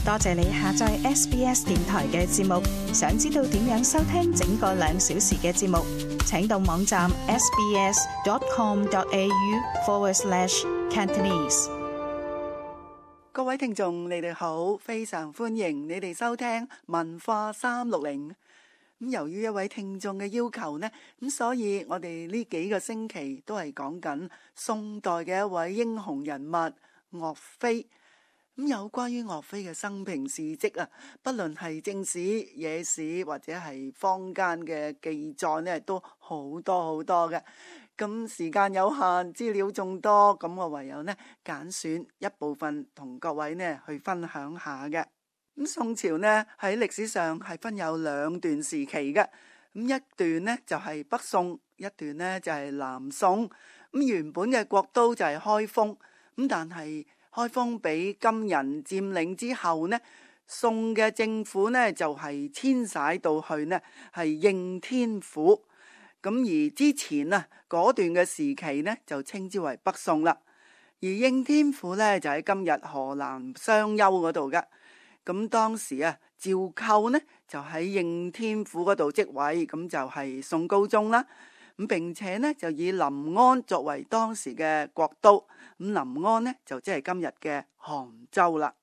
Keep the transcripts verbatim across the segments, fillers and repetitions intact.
多謝你下載 S B S 電台嘅節目。想知道點樣收聽整個兩小時嘅節目，請到網站 sbs.com.au forward slash Cantonese。各位聽眾，你哋好，非常歡迎你哋收聽文化三六零。咁由於一位聽眾嘅要求呢，咁所以我哋呢幾個星期都係講緊宋代嘅一位英雄人物岳飛。咁有關於岳飛嘅生平事蹟啊，不論係正史、野史或者係坊間嘅記載呢，都好多好多嘅。咁時間有限，資料眾多，咁我唯有呢揀選一部分同各位呢去分享下嘅。咁宋朝呢喺歷史上係分有兩段時期嘅。咁一段呢就係北宋，一段呢就係南宋。咁原本嘅國都就係開封，咁但係開封俾金人佔領之後呢，宋嘅政府呢就係遷徙到去呢係應天府。咁而之前啊嗰段嘅時期呢就稱之為北宋啦。而應天府呢就喺今日河南商丘嗰度嘅。咁當時啊趙構呢就喺應天府嗰度即位，咁就係宋高宗啦。咁並且呢就以臨安作為當時嘅國都，咁臨安呢就即係今日嘅杭州啦。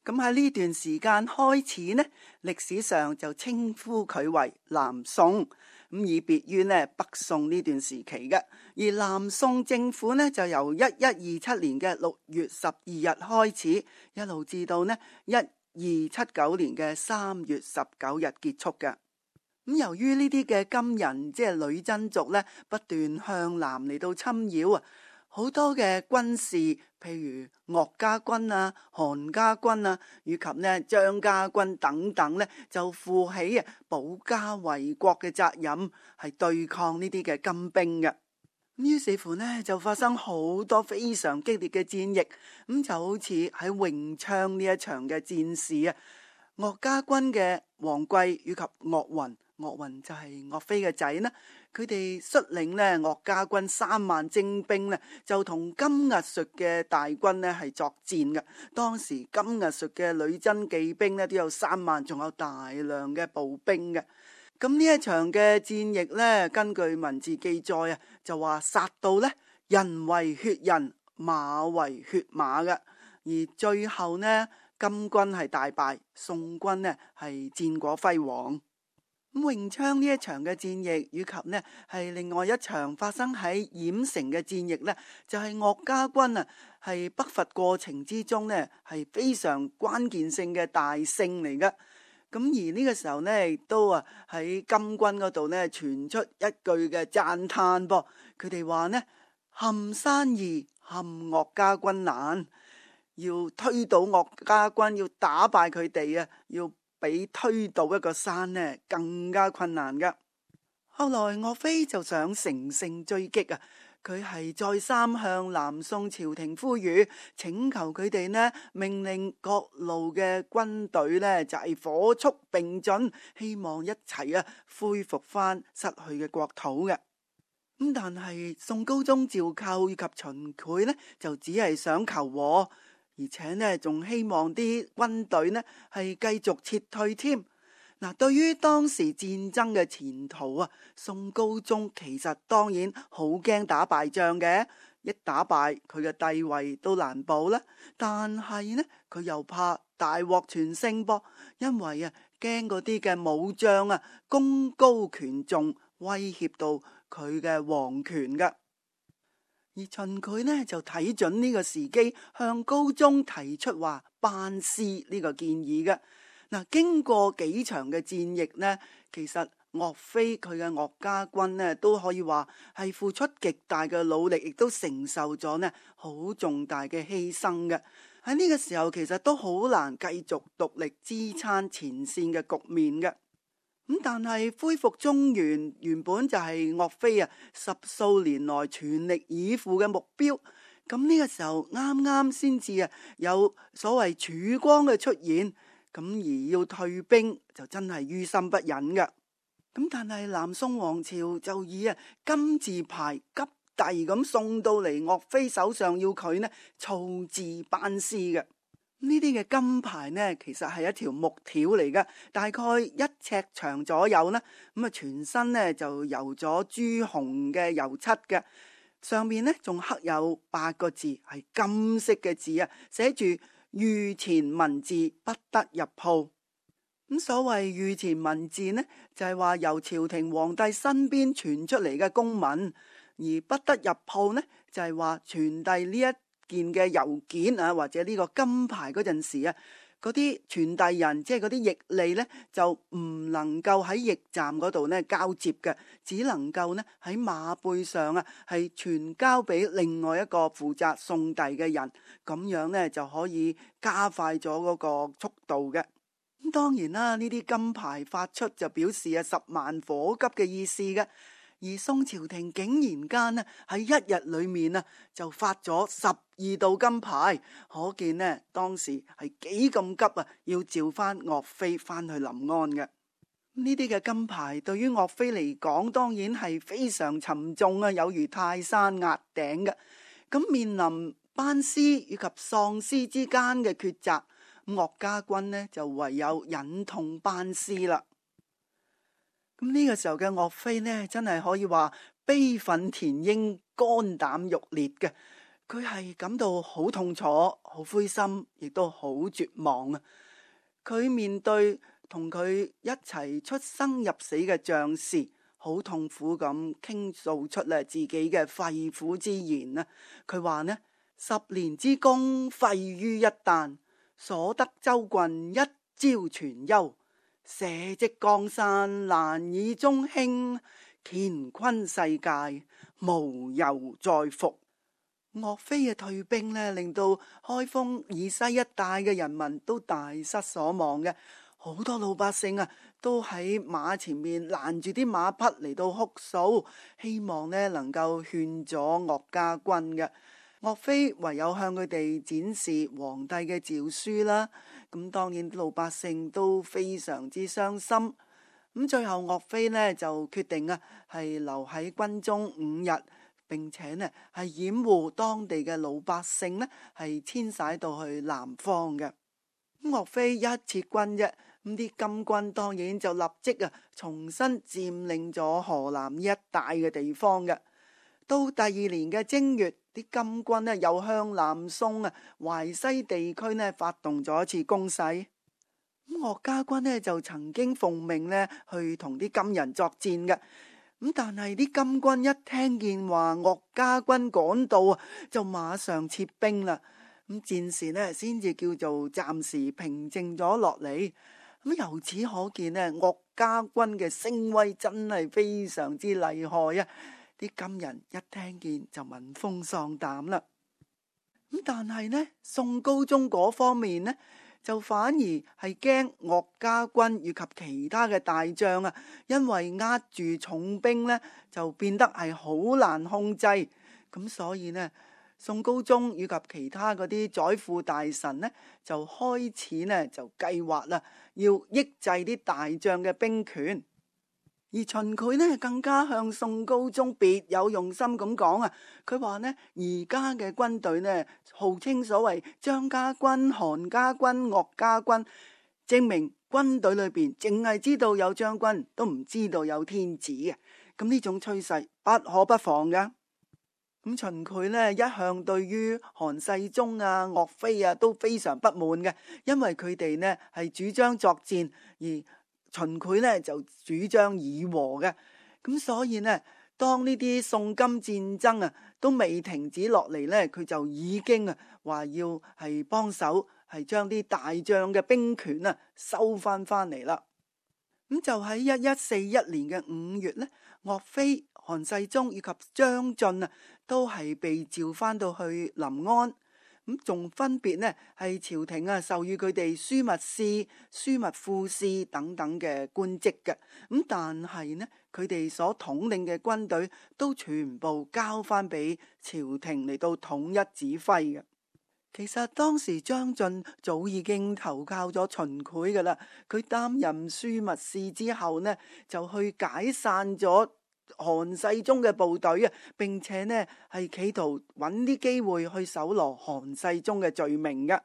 咁喺呢段時間開始呢，歷史上就稱呼佢為南宋，咁以別於呢北宋呢段時期嘅。而南宋政府呢就由一一二七年嘅六月十二日開始，一路至到呢一二七九年嘅三月十九日結束嘅。咁由於呢啲嘅金人即係女真族呢，不斷向南嚟到侵擾啊，好多嘅軍事，譬如岳家軍啊、韓家軍啊，以及呢張家軍等等呢，就負起啊保家衛國嘅責任，係對抗呢啲嘅金兵嘅。咁於是乎呢，就發生好多非常激烈嘅戰役，咁就好似喺榮昌呢一場嘅戰事啊，岳家軍嘅王貴以及岳雲。岳雲就係岳飛嘅仔呢，佢哋率領呢岳家軍三萬精兵呢，就同金額術嘅大軍呢係作戰嘅。當時金額術嘅女真騎兵呢都有三萬，仲有大量嘅步兵嘅。咁呢一場嘅戰役呢，根據文字記載啊，就話殺到呢人為血人，馬為血馬嘅。而最後呢，金軍係大敗，宋軍呢係戰果輝煌。咁榮昌呢一場嘅戰役，以及呢係另外一場發生喺鹽城嘅戰役呢，就係岳家軍啊係北伐過程之中呢係非常關鍵性嘅大勝嚟嘅。咁而呢個時候呢，亦都啊喺金軍嗰度呢傳出一句嘅讚嘆噃，佢哋話呢，陷山易，陷岳家軍難，要推倒岳家軍，要打敗佢哋啊，要比推倒一個山呢更加困難噶。後來岳飛就想乘勝追擊啊，佢係再三向南宋朝廷呼籲，請求佢哋呢命令各路嘅軍隊呢就係火速並進，希望一齊啊恢復翻失去嘅國土嘅。咁但係宋高宗趙構以及秦檜呢就只係想求和，而且呢，仲希望啲軍隊呢係繼續撤退添。嗱，對於當時戰爭嘅前途啊，宋高宗其實當然好驚打敗仗嘅，一打敗佢嘅地位都難保啦。但係呢，佢又怕大獲全勝噃，因為啊驚嗰啲嘅武將啊功高權重，威脅到佢嘅皇權噶。而秦檜呢就睇準呢個時機，向高宗提出話班師呢個建議嘅。嗱，經過幾場嘅戰役呢，其實岳飛佢嘅岳家軍呢都可以話係付出極大嘅努力，亦都承受咗呢好重大嘅犧牲嘅。喺呢個時候，其實都好難繼續獨力支撐前線嘅局面嘅。咁但係恢復中原原本就係岳飛啊十數年來全力以赴嘅目標。咁呢個時候啱啱先至啊有所謂曙光嘅出現，咁而要退兵就真係於心不忍噶。咁但係南宋王朝就以啊金字牌急遞咁送到嚟岳飛手上，要佢呢草字班師嘅。呢啲嘅金牌呢，其實係一條木條嚟嘅，大概一尺長左右啦。咁啊，全身呢就油咗朱紅嘅油漆嘅，上面呢仲刻有八個字，係金色嘅字啊，寫住御前文字不得入鋪。咁所謂御前文字呢，就係話由朝廷皇帝身邊傳出嚟嘅公文，而不得入鋪呢，就係話傳遞呢一件嘅郵件啊，或者呢個金牌嗰陣時啊，嗰啲傳遞人即係嗰啲驛吏呢，就唔能夠喺驛站嗰度呢交接嘅，只能夠呢喺馬背上啊，係傳交俾另外一個負責送遞嘅人，咁樣呢就可以加快咗嗰個速度嘅。咁當然啦，呢啲金牌發出就表示啊十萬火急嘅意思嘅。而宋朝廷竟然間呢喺一日裏面啊就發咗十二道金牌，可見呢當時係幾咁急啊，要召翻岳飛翻去臨安嘅。呢啲嘅金牌對於岳飛嚟講，當然係非常沉重啊，有如泰山壓頂嘅。咁面臨班師以及喪師之間嘅抉擇，岳家軍呢就唯有忍痛班師啦。咁呢個時候嘅岳飛呢，真係可以話悲憤填膺、肝膽欲裂嘅。佢係感到好痛楚、好灰心，亦都好絕望啊！佢面對同佢一齊出生入死嘅將士，好痛苦咁傾訴出咧自己嘅肺腑之言啊！佢話呢，十年之功廢於一旦，所得州郡一朝全休。社稷江山難以中興，乾坤世界無由再復。岳飛嘅退兵呢，令到開封以西一帶嘅人民都大失所望嘅，好多老百姓啊都喺馬前面攔住啲馬匹嚟到哭訴，希望呢能夠勸阻岳家軍嘅。岳飛唯有向佢哋展示皇帝嘅詔書啦，咁當然老百姓都非常之傷心。咁最後岳飛呢就決定啊係留喺軍中五日，並且呢係掩護當地嘅老百姓呢係遷徙到去南方嘅。咁岳飛一撤軍啫，咁啲金軍當然就立即啊重新佔領咗河南呢一帶嘅地方嘅。到第二年嘅正月，啲金軍呢又向南宋啊淮西地區呢發動咗一次攻勢。咁岳家軍呢就曾經奉命呢去同啲金人作戰嘅。咁但係啲金軍一聽見話岳家軍趕到啊，就馬上撤兵啦。咁戰事呢先至叫做暫時平靜咗落嚟。咁由此可見呢，岳家軍嘅聲威真係非常之厲害啊！啲金人一聽見就聞風喪膽啦。咁但係呢，宋高宗嗰方面呢，就反而係驚岳家軍以及其他嘅大將啊，因為握住重兵呢，就變得係好難控制。咁所以呢，宋高宗以及其他嗰啲宰輔大臣呢，就開始呢就計劃啦，要抑制啲大將嘅兵權。而秦檜呢更加向宋高宗別有用心咁講啊，佢話呢而家嘅軍隊呢號稱所謂張家軍、韓家軍、岳家軍，證明軍隊裏邊淨係知道有將軍，都唔知道有天子嘅。咁呢種趨勢不可不防噶。咁秦檜呢一向對於韓世忠啊、岳飛啊都非常不滿嘅，因為佢哋呢係主張作戰，而秦檜呢就主張議和嘅。咁所以呢，當呢啲宋金戰爭啊都未停止落嚟呢，佢就已經啊話要係幫手係將啲大將嘅兵權啊收翻翻嚟啦。咁就喺一一四一年嘅五月呢，岳飛、韓世忠以及張晉啊都係被召翻到去臨安。咁仲分別呢係朝廷啊授予佢哋樞密使、樞密副使等等嘅官職嘅。咁但係呢，佢哋所統領嘅軍隊都全部交翻俾朝廷嚟到統一指揮嘅。其實當時張晉早已經投靠咗秦檜噶啦，佢擔任樞密使之後呢，就去解散咗韓世忠嘅部隊啊，並且呢係企圖揾啲機會去搜羅韓世忠嘅罪名嘅。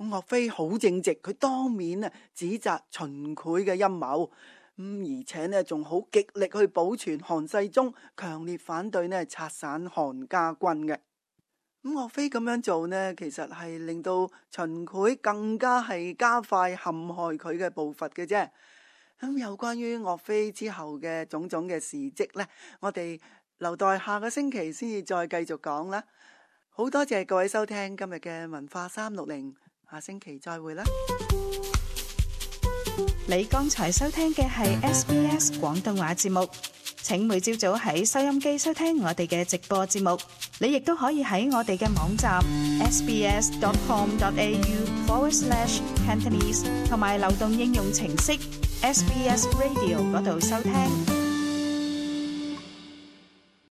岳飛好正直，佢當面啊指責秦檜嘅陰謀，咁而且呢仲好極力去保存韓世忠，強烈反對呢拆散韓家軍嘅。咁岳飛咁樣做呢，其實係令到秦檜更加係加快陷害佢嘅步伐嘅啫。咁有關於岳飛之後嘅種種嘅事蹟呢，我哋留待下個星期先至再繼續講啦。好多謝各位收聽今日嘅文化三六零，下星期再會啦。你剛才收聽嘅係 S B S 廣東話節目，請每朝早喺收音機收聽我哋嘅直播節目。你亦都可以喺我哋嘅網站 s b s dot com dot a u forward slash cantonese 同埋流動應用程式 S B S Radio 嗰度收聽。